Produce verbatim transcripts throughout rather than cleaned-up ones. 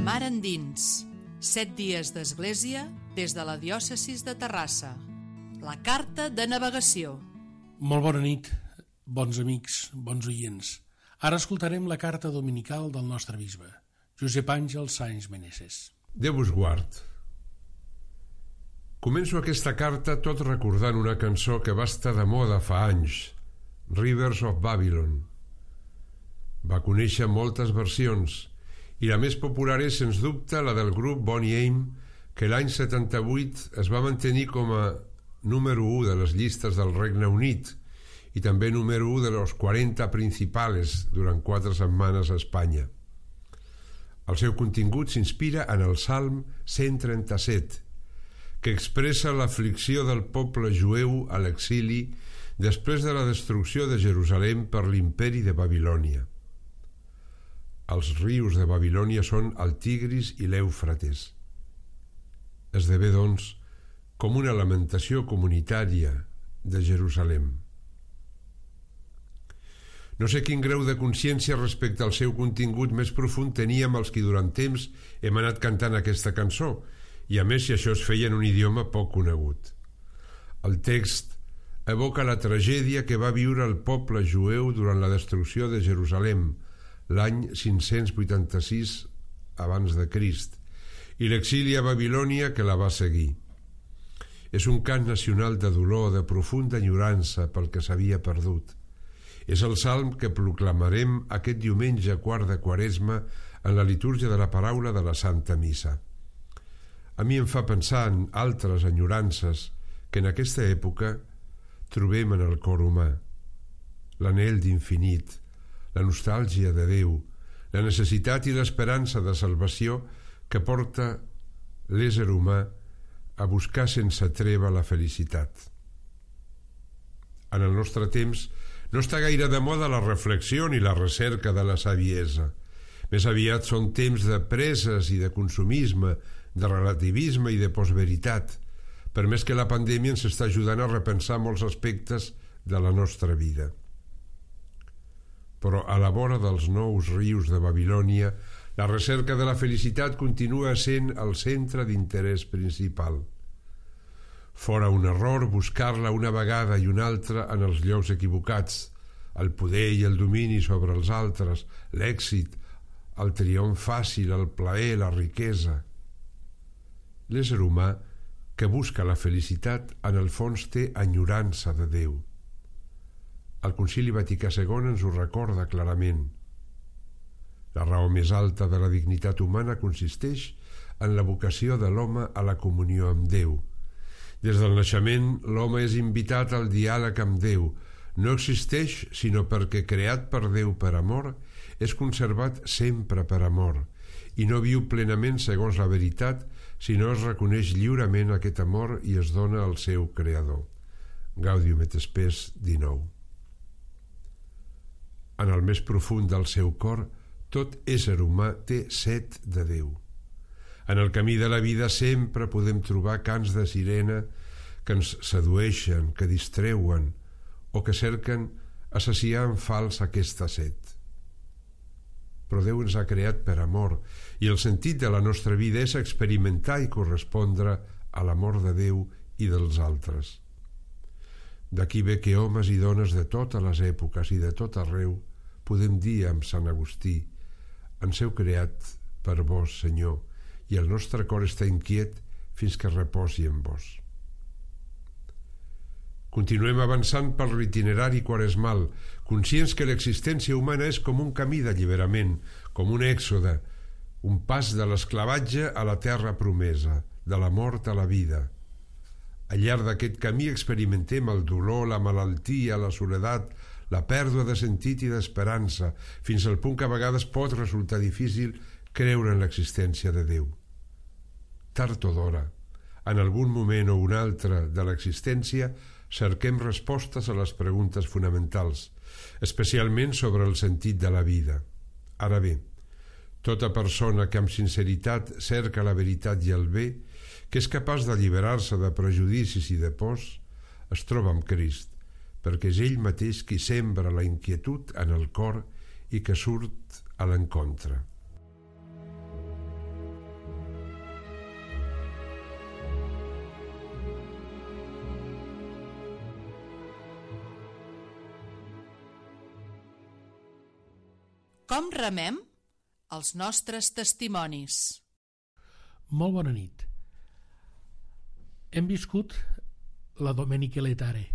Mar endins, set dies d'església des de la diòcesi de Terrassa. La carta de navegació. Molt bona nit, bons amics, bons oients. Ara escoltarem la carta dominical del nostre bisbe, Josep Àngel Sáenz Meneses. Déu us guard. Començo aquesta carta tot recordant una cançó que va estar de moda fa anys, Rivers of Babylon. Va conèixer moltes versions i la més popular és, sens dubte, la del grup Boney M, que l'any setanta-vuit es va mantenir com a número u de les llistes del Regne Unit i també número u de los quaranta principales durant quatre setmanes a Espanya. El seu contingut s'inspira en el Salm cent trenta-set, que expressa l'aflicció del poble jueu a l'exili després de la destrucció de Jerusalem per l'imperi de Babilònia. Els rius de Babilònia són el Tigris i l'Èufrates. Esdevé, doncs, com una lamentació comunitària de Jerusalem. No sé quin grau de consciència respecte al seu contingut més profund teníem els qui durant temps hem anat cantant aquesta cançó, i a més si això es feia en un idioma poc conegut. El text evoca la tragèdia que va viure el poble jueu durant la destrucció de Jerusalem, l'any cinc-cents vuitanta-sis abans de Crist, i l'exili a Babilònia que la va seguir. És un cant nacional de dolor, de profunda enyorança pel que s'havia perdut. És el salm que proclamarem aquest diumenge quart de Quaresma en la litúrgia de la paraula de la Santa Missa. A mi em fa pensar en altres enyorances que en aquesta època trobem en el cor humà. L'anhel d'infinit, la nostàlgia de Déu, la necessitat i l'esperança de salvació que porta l'ésser humà a buscar sense treva la felicitat. En el nostre temps no està gaire de moda la reflexió ni la recerca de la saviesa. Més aviat són temps de preses i de consumisme, de relativisme i de postveritat, per més que la pandèmia ens està ajudant a repensar molts aspectes de la nostra vida. Però a la vora dels nous rius de Babilònia, la recerca de la felicitat continua sent el centre d'interès principal. Fora un error buscar-la una vegada i una altra en els llocs equivocats, el poder i el domini sobre els altres, l'èxit, el triomf fàcil, el plaer, la riquesa. L'ésser humà que busca la felicitat en el fons té enyorança de Déu. El Concili Vaticà segon ens ho recorda clarament. La raó més alta de la dignitat humana consisteix en la vocació de l'home a la comunió amb Déu. Des del naixement, l'home és invitat al diàleg amb Déu. No existeix sinó perquè, creat per Déu per amor, és conservat sempre per amor, i no viu plenament segons la veritat si no es reconeix lliurement aquest amor i es dona al seu creador. Gaudium et Spes dinou. En el més profund del seu cor, tot ésser humà té set de Déu. En el camí de la vida sempre podem trobar cants de sirena que ens sedueixen, que distreuen o que cerquen assaciar en fals aquesta set. Però Déu ens ha creat per amor i el sentit de la nostra vida és experimentar i correspondre a l'amor de Déu i dels altres. D'aquí ve que homes i dones de totes les èpoques i de tot arreu podem dir amb Sant Agustí: ens heu creat per vos, Senyor, i el nostre cor està inquiet fins que reposi en vos. Continuem avançant per l'itinerari quaresmal, conscients que l'existència humana és com un camí d'alliberament, com un èxode, un pas de l'esclavatge a la terra promesa, de la mort a la vida. Al llarg d'aquest camí experimentem el dolor, la malaltia, la soledat, la pèrdua de sentit i d'esperança, fins al punt que a vegades pot resultar difícil creure en l'existència de Déu. Tard o d'hora, en algun moment o un altre de l'existència, cerquem respostes a les preguntes fonamentals, especialment sobre el sentit de la vida. Ara bé, tota persona que amb sinceritat cerca la veritat i el bé, que és capaç d'alliberar-se de prejudicis i de pors, es troba amb Crist, perquè és ell mateix qui sembra la inquietud en el cor i que surt a l'encontre. Com remem? Els nostres testimonis. Molt bona nit. Hem viscut la Domeniche Letare.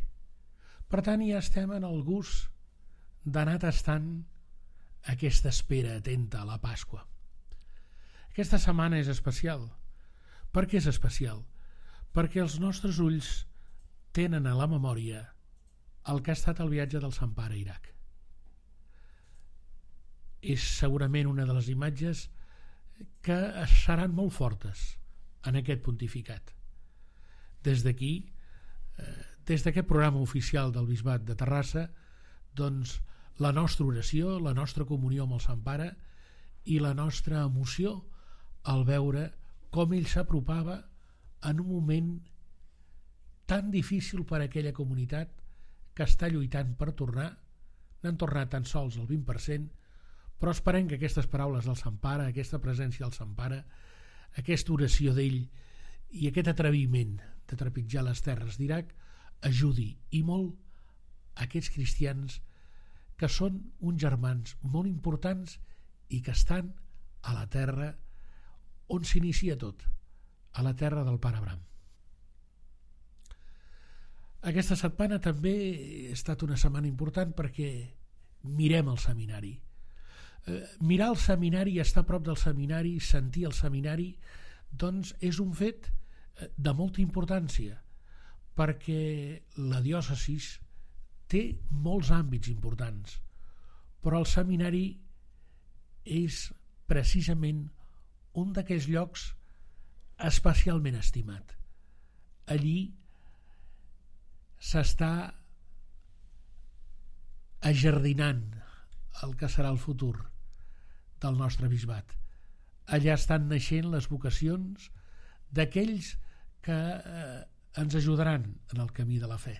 Per tant, ja estem en el gust d'anar tastant aquesta espera atenta a la Pasqua. Aquesta setmana és especial. Per què és especial? Perquè els nostres ulls tenen a la memòria el que ha estat el viatge del Sant Pare a Iraq. És segurament una de les imatges que seran molt fortes en aquest pontificat. Des d'aquí, des d'aquest programa oficial del Bisbat de Terrassa, doncs la nostra oració, la nostra comunió amb el Sant Pare i la nostra emoció al veure com ell s'apropava en un moment tan difícil per a aquella comunitat que està lluitant per tornar. N'han tornat tan sols el vint per cent, però esperem que aquestes paraules del Sant Pare, aquesta presència del Sant Pare, aquesta oració d'ell i aquest atreviment de trepitjar les terres d'Iraq ajudi i molt a aquests cristians que són uns germans molt importants i que estan a la terra on s'inicia tot, a la terra del Pare Abraham. Aquesta setmana també ha estat una setmana important perquè mirem el seminari. Eh, mirar el seminari i estar a prop del seminari, sentir el seminari, doncs és un fet de molta importància, perquè la diòcesi té molts àmbits importants, però el seminari és precisament un d'aquells llocs especialment estimat. Allí s'està ajardinant el que serà el futur del nostre bisbat. Allà estan naixent les vocacions d'aquells que eh, ens ajudaran en el camí de la fe.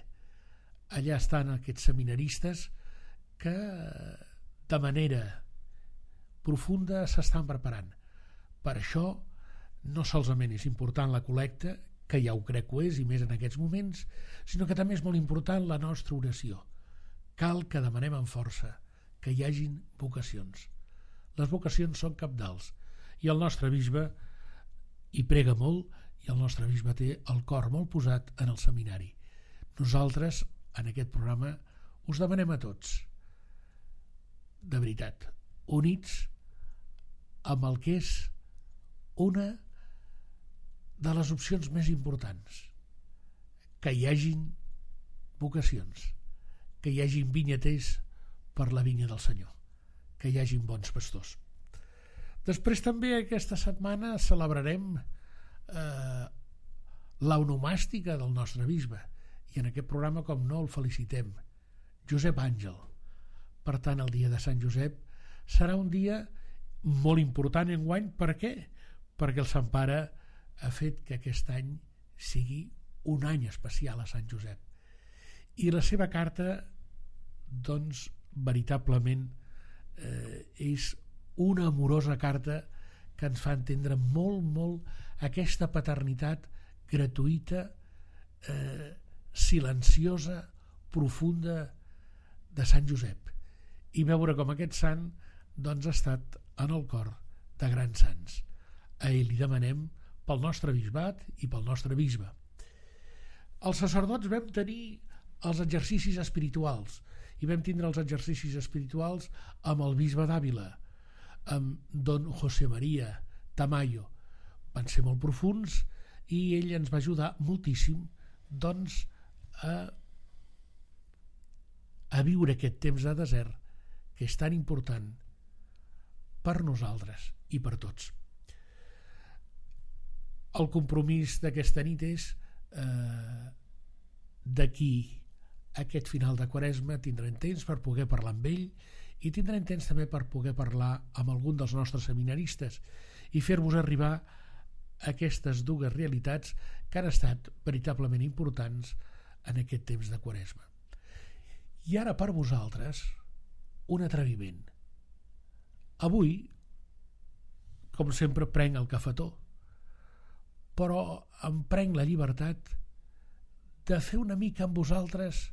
Allà estan aquests seminaristes que eh, de manera profunda s'estan preparant. Per això no solament és important la col·lecta, que ja ho crec que ho és, i més en aquests moments, sinó que també és molt important la nostra oració. Cal que demanem amb força que hi hagin vocacions. Les vocacions són cabdals i el nostre bisbe hi prega molt i el nostre bisbe té el cor molt posat en el seminari. Nosaltres, en aquest programa, us demanem a tots, de veritat, units amb el que és una de les opcions més importants, que hi hagin vocacions, que hi hagin vinyaters per la vinya del Senyor, que hi hagin bons pastors. Després també aquesta setmana celebrarem eh, l'onomàstica del nostre bisbe, i en aquest programa, com no, el felicitem, Josep Àngel. Per tant, el dia de Sant Josep serà un dia molt important enguany. Per què? Perquè el Sant Pare ha fet que aquest any sigui un any especial a Sant Josep. I la seva carta, doncs, veritablement eh, és una amorosa carta que ens fa entendre molt, molt aquesta paternitat gratuïta, eh, silenciosa, profunda de Sant Josep, i veure com aquest sant doncs ha estat en el cor de grans sants. A ell li demanem pel nostre bisbat i pel nostre bisbe. Els sacerdots vam tenir els exercicis espirituals i vam tindre els exercicis espirituals amb el bisbe d'Àvila, amb don José María Tamayo. Van ser molt profuns i ell ens va ajudar moltíssim doncs a, a viure aquest temps de desert que és tan important per nosaltres i per tots. El compromís d'aquesta nit és eh, d'aquí aquest final de Quaresma tindrem temps per poder parlar amb ell i tindrem temps també per poder parlar amb algun dels nostres seminaristes i fer-vos arribar aquestes dues realitats que han estat veritablement importants en aquest temps de Quaresma. I ara per vosaltres un atreviment. Avui, com sempre, prenc el cafetó, però em prenc la llibertat de fer una mica amb vosaltres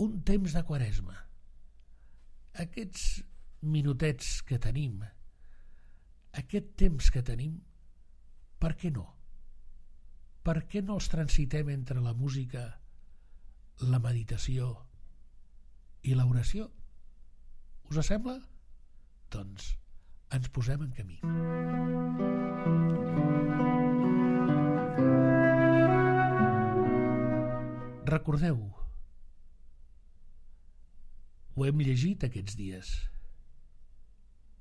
un temps de Quaresma. Aquests minutets que tenim, aquest temps que tenim, per què no? Per què no els transitem entre la música, la meditació i l'oració? Us sembla? Doncs ens posem en camí. Recordeu, ho hem llegit aquests dies,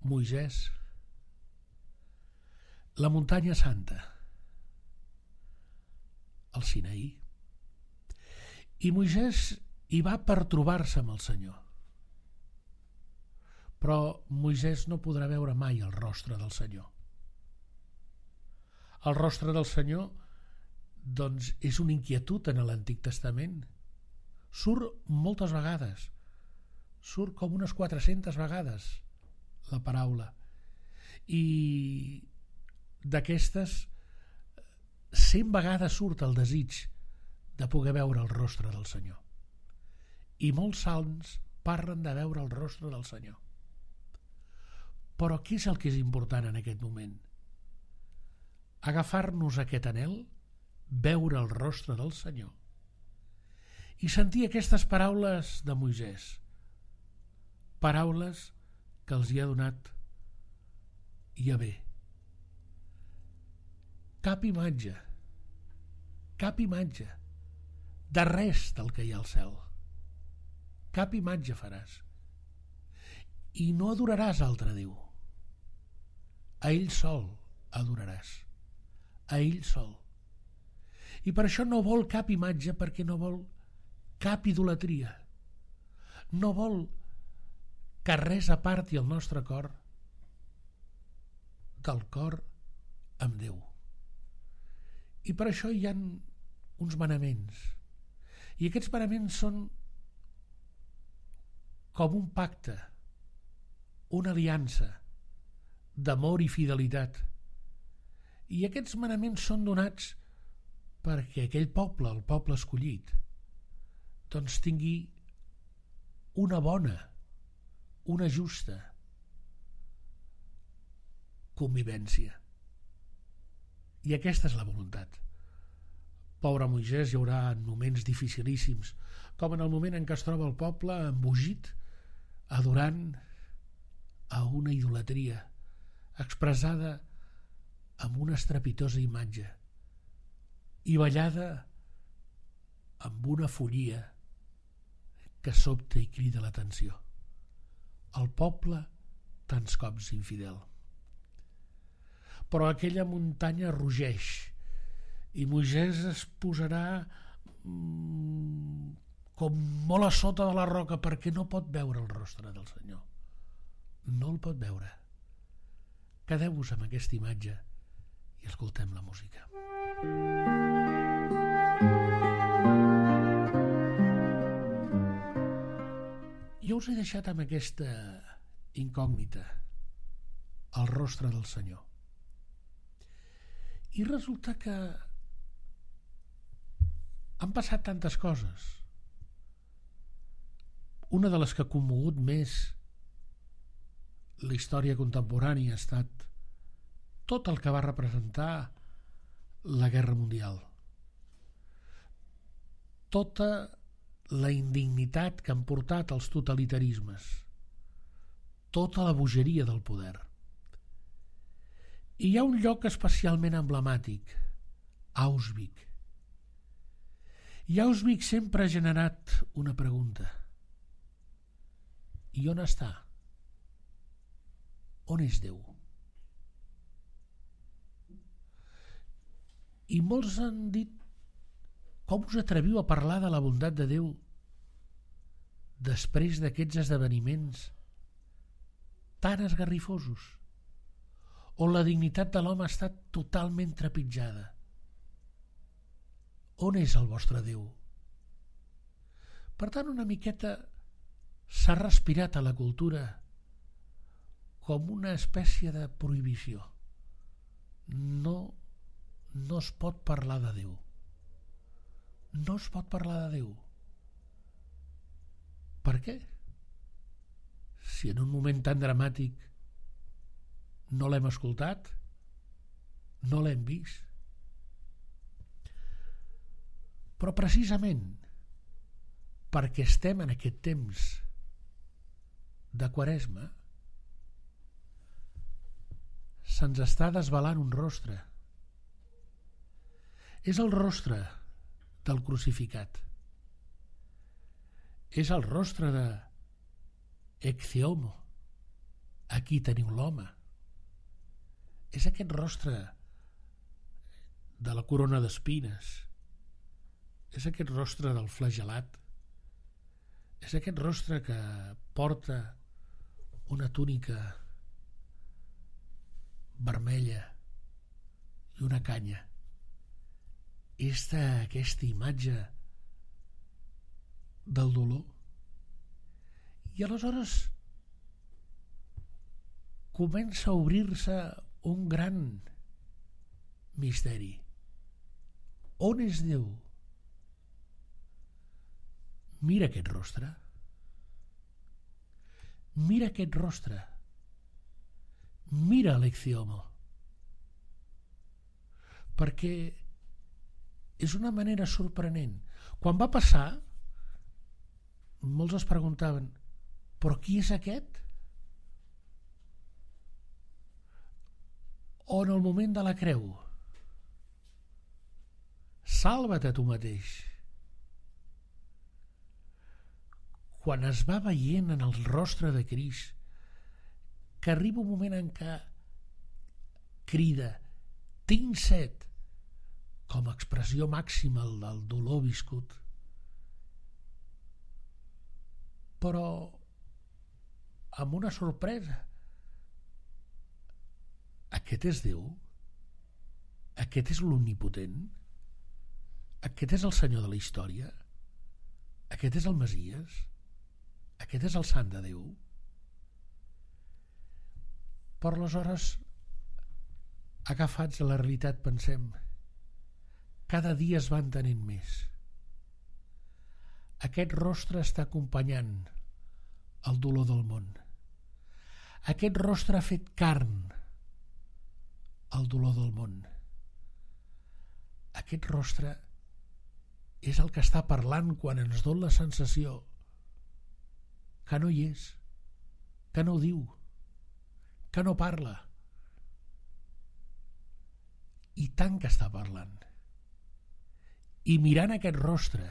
Moisès, la muntanya santa, el Sinaí, i Moisès hi va per trobar-se amb el Senyor. Però Moisès no podrà veure mai el rostre del Senyor. El rostre del Senyor, doncs, és una inquietud en l'Antic Testament. Surt moltes vegades, surt com unes quatre-centes vegades la paraula. I d'aquestes, cent vegades surt el desig de poder veure el rostre del Senyor. I molts salms parlen de veure el rostre del Senyor. Però què és el que és important en aquest moment? Agafar-nos aquest anhel, veure el rostre del Senyor i sentir aquestes paraules de Moisès, paraules que els hi ha donat Yahvé. Cap imatge, cap imatge de res del que hi ha al cel. Cap imatge faràs. I no adoraràs altre Déu. A ell sol adoraràs. A ell sol. I per això no vol cap imatge, perquè no vol cap idolatria. No vol que res aparti el nostre cor del cor amb Déu. I per això hi ha uns manaments. I aquests manaments són com un pacte, una aliança d'amor i fidelitat. I aquests manaments són donats perquè aquell poble, el poble escollit, doncs tingui una bona, una justa convivència. I aquesta és la voluntat. Pobre Moisès, hi haurà moments dificilíssims, com en el moment en què es troba el poble embogit, adorant a una idolatria expressada amb una estrepitosa imatge i ballada amb una follia que sobta i crida l'atenció. El poble tants cops infidel. Però aquella muntanya rugeix i Moisès es posarà mm, com molt a sota de la roca perquè no pot veure el rostre del Senyor. No el pot veure. Quedeu-vos amb aquesta imatge i escoltem la música. Jo us he deixat amb aquesta incògnita, el rostre del Senyor. I resulta que han passat tantes coses. Una de les que ha commogut més la història contemporània ha estat tot el que va representar la Guerra Mundial. Tota la indignitat que han portat els totalitarismes. Tota la bogeria del poder. I hi ha un lloc especialment emblemàtic, Auschwitz. I Auschwitz sempre ha generat una pregunta. I on està? On és Déu? I molts han dit, com us atreviu a parlar de la bondat de Déu després d'aquests esdeveniments tan esgarrifosos, on la dignitat de l'home ha estat totalment trepitjada? On és el vostre Déu? Per tant, una miqueta s'ha respirat a la cultura com una espècie de prohibició. No, no es pot parlar de Déu. No es pot parlar de Déu. Per què? si en un moment tan dramàtic no l'hem escoltat, no l'hem vist. Però precisament perquè estem en aquest temps de Quaresma, se'ns està desvelant un rostre. És el rostre del crucificat. És el rostre de Ecce Homo. Aquí teniu l'home. És aquest rostre de la corona d'espines. És aquest rostre del flagelat. És aquest rostre que porta una túnica vermella i una canya. És aquesta imatge del dolor. I aleshores comença a obrir-se un gran misteri. On és Déu? Mira aquest rostre. Mira aquest rostre. Mira l'Ecce Homo. Perquè és una manera sorprenent. Quan va passar, molts es preguntaven, però qui és aquest? O en el moment de la creu, salva't a tu mateix. Quan es va veient en el rostre de Crist que arriba un moment en què crida tinc set, com a expressió màxima del dolor viscut, però amb una sorpresa. Aquest és Déu? Aquest és l'omnipotent? Aquest és el Senyor de la història? Aquest és el Messies? Aquest és el Sant de Déu? Però aleshores, agafats a la realitat, pensem, cada dia es va entenent més. Aquest rostre està acompanyant el dolor del món. Aquest rostre ha fet carn el dolor del món. Aquest rostre és el que està parlant quan ens dona la sensació que no hi és, que no ho diu, que no parla. I tant que està parlant. I mirant aquest rostre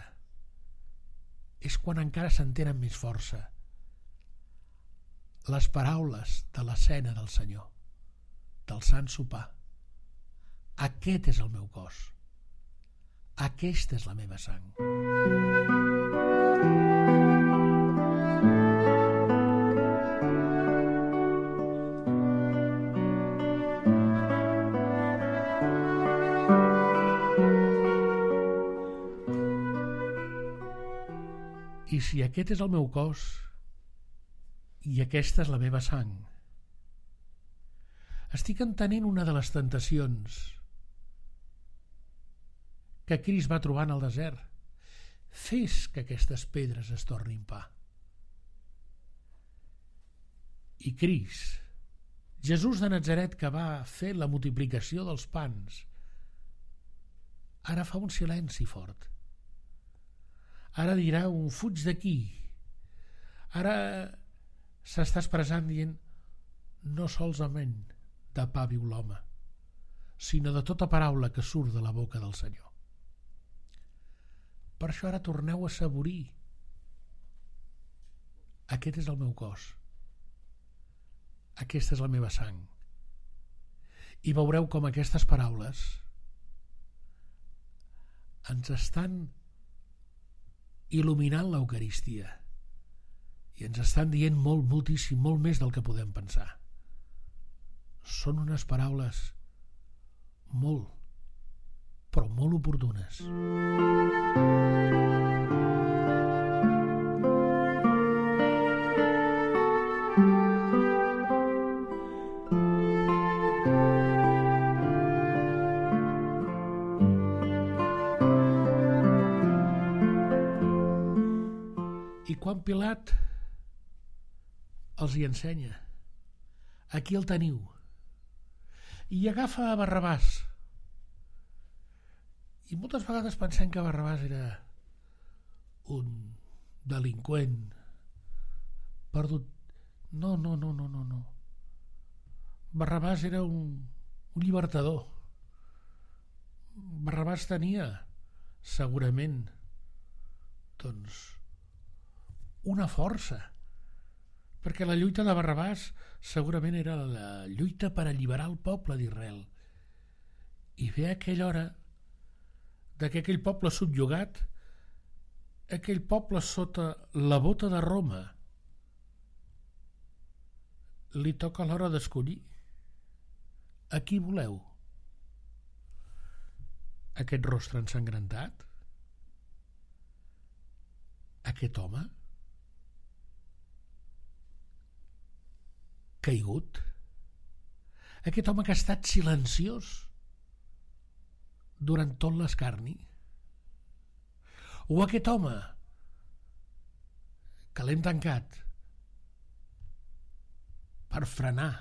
és quan encara s'entenen més força les paraules de la cena del Senyor, del Sant Sopar. Aquest és el meu cos. Aquesta és la meva sang. I si aquest és el meu cos i aquesta és la meva sang, estic entenent una de les tentacions que Crist va trobar en el desert. Fes que aquestes pedres es tornin pa. I Crist, Jesús de Natzaret, que va fer la multiplicació dels pans, ara fa un silenci fort. Ara dirà un fuig d'aquí. Ara s'està expressant dient no solament de pa viu l'home, sinó de tota paraula que surt de la boca del Senyor. Per això ara torneu a saborir. Aquest és el meu cos. Aquesta és la meva sang. I veureu com aquestes paraules ens estan il·luminant l'Eucaristia i ens estan dient molt, moltíssim, molt més del que podem pensar. Són unes paraules molt, però molt oportunes. I quan Pilat els hi ensenya. Aquí el teniu. I agafa a Barrabàs. I moltes vegades pensem que Barrabàs era un delinqüent perdut. No, no, no, no, no, no. Barrabàs era un, un llibertador. Barrabàs tenia, segurament, doncs, una força, perquè la lluita de Barrabàs segurament era la lluita per alliberar el poble d'Israel i fer aquella hora de que aquell poble subjugat, aquell poble sota la bota de Roma, li toca l'hora d'escollir a qui voleu. Aquest rostre ensangrentat, aquest home caigut, aquest home que ha estat silenciós durant tot l'escarni, o aquest home que l'hem tancat per frenar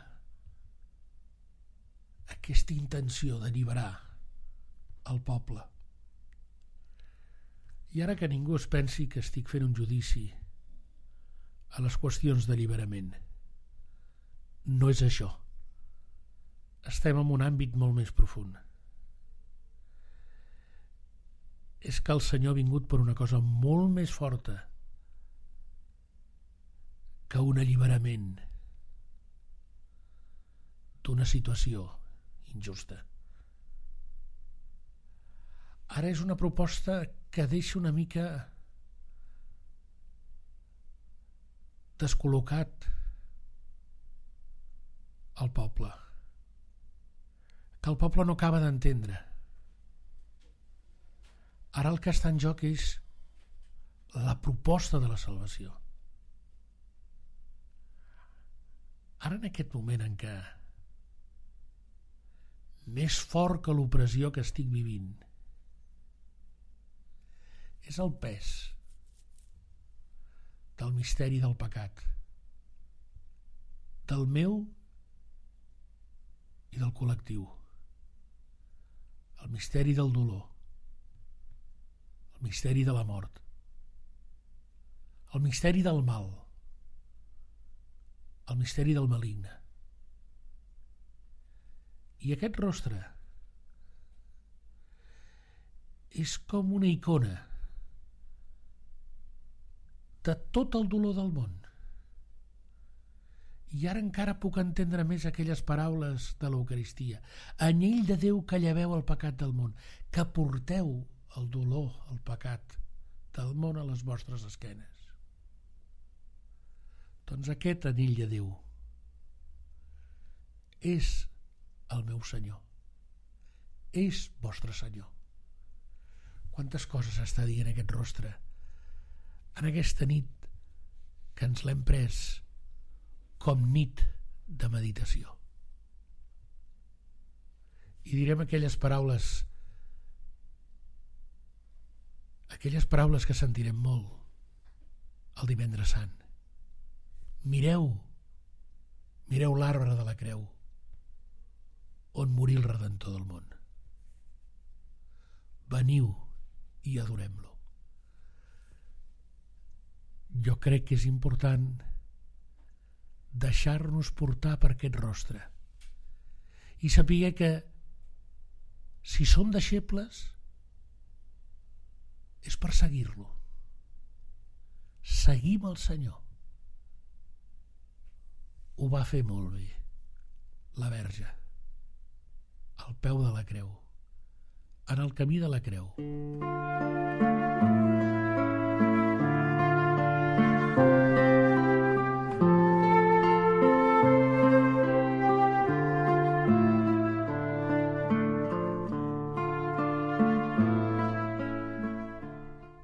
aquesta intenció d'alliberar el poble. I ara que ningú es pensi que estic fent un judici a les qüestions d'alliberament. No és això. Estem en un àmbit molt més profund. És que el Senyor ha vingut per una cosa molt més forta que un alliberament d'una situació injusta. Ara és una proposta que deixa una mica descol·locat el poble, que el poble no acaba d'entendre. Ara el que està en joc és la proposta de la salvació. Ara, en aquest moment en què més fort que l'opressió que estic vivint és el pes del misteri del pecat, del meu i del col·lectiu, el misteri del dolor, el misteri de la mort, el misteri del mal, el misteri del maligne. I aquest rostre és com una icona de tot el dolor del món. I ara encara puc entendre més aquelles paraules de l'Eucaristia. Anyell de Déu que lleveu el pecat del món, que porteu el dolor, el pecat del món a les vostres esquenes. Doncs aquest anyell de Déu és el meu Senyor, és vostre Senyor. Quantes coses està dient aquest rostre en aquesta nit que ens l'hem pres com nit de meditació. I direm aquelles paraules, aquelles paraules que sentirem molt el Divendres Sant. Mireu, mireu l'arbre de la creu, on morí el Redentor del món. Veniu i adorem-lo. Jo crec que és important deixar-nos portar per aquest rostre i saber que si som deixebles és per seguir-lo. Seguim el Senyor. Ho va fer molt bé la Verge al peu de la creu, en el camí de la creu.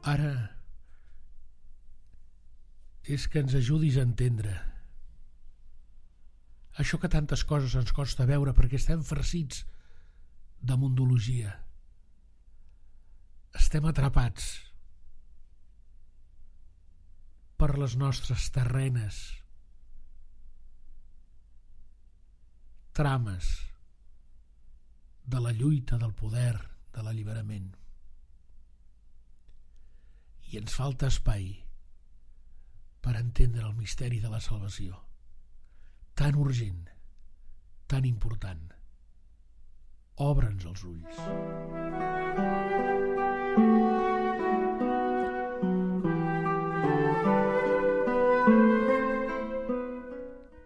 Ara és que ens ajudis a entendre això que tantes coses ens costa veure perquè estem farcits de mundologia. Estem atrapats per les nostres terrenes trames de la lluita, del poder, de l'alliberament. I ens falta espai per entendre el misteri de la salvació, tan urgent, tan important. Obre'ns els ulls.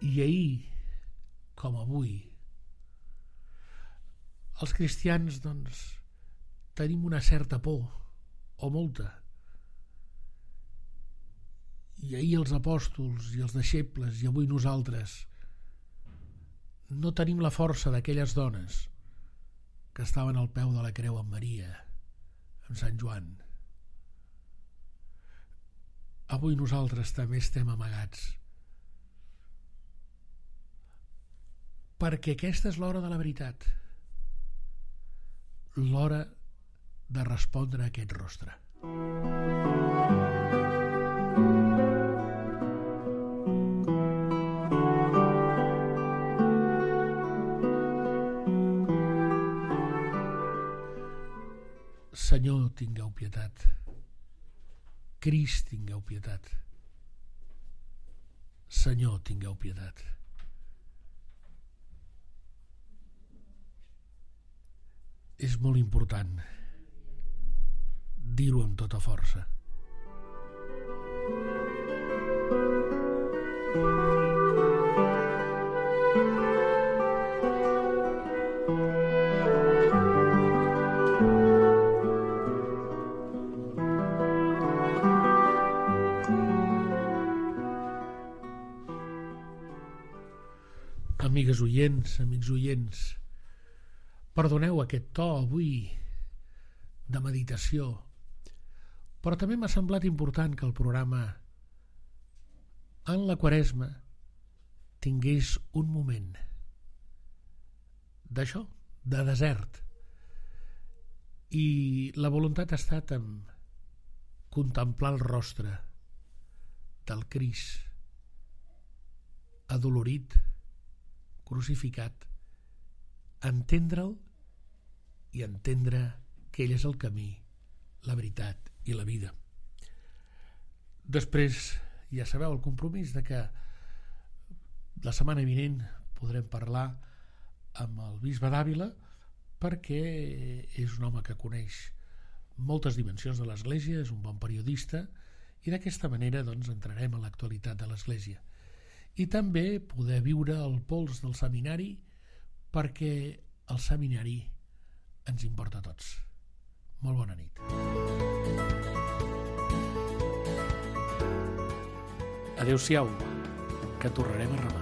I ahir, com avui, els cristians, doncs, tenim una certa por, o molta. I ahir els apòstols i els deixebles, i avui nosaltres, no tenim la força d'aquelles dones que estaven al peu de la creu amb Maria, amb Sant Joan. Avui nosaltres també estem amagats, perquè aquesta és l'hora de la veritat, l'hora de respondre a aquest rostre. Senyor, tingueu pietat. Crist, tingueu pietat. Senyor, tingueu pietat. És molt important dir-ho amb tota força. Amigues oients, amics oients, perdoneu aquest to avui de meditació, però també m'ha semblat important que el programa en la Quaresma tingués un moment d'això, de desert. I la voluntat ha estat en contemplar el rostre del Crist adolorit, crucificat, entendre'l i entendre que ell és el camí, la veritat i la vida. Després, ja sabeu, el compromís de que la setmana vinent podrem parlar amb el bisbe d'Àvila, perquè és un home que coneix moltes dimensions de l'Església, és un bon periodista, i d'aquesta manera doncs, entrarem a l'actualitat de l'Església. I també poder viure el pols del seminari, perquè el seminari ens importa a tots. Molt bona nit. Adéu-siau, que tornarem a rebar.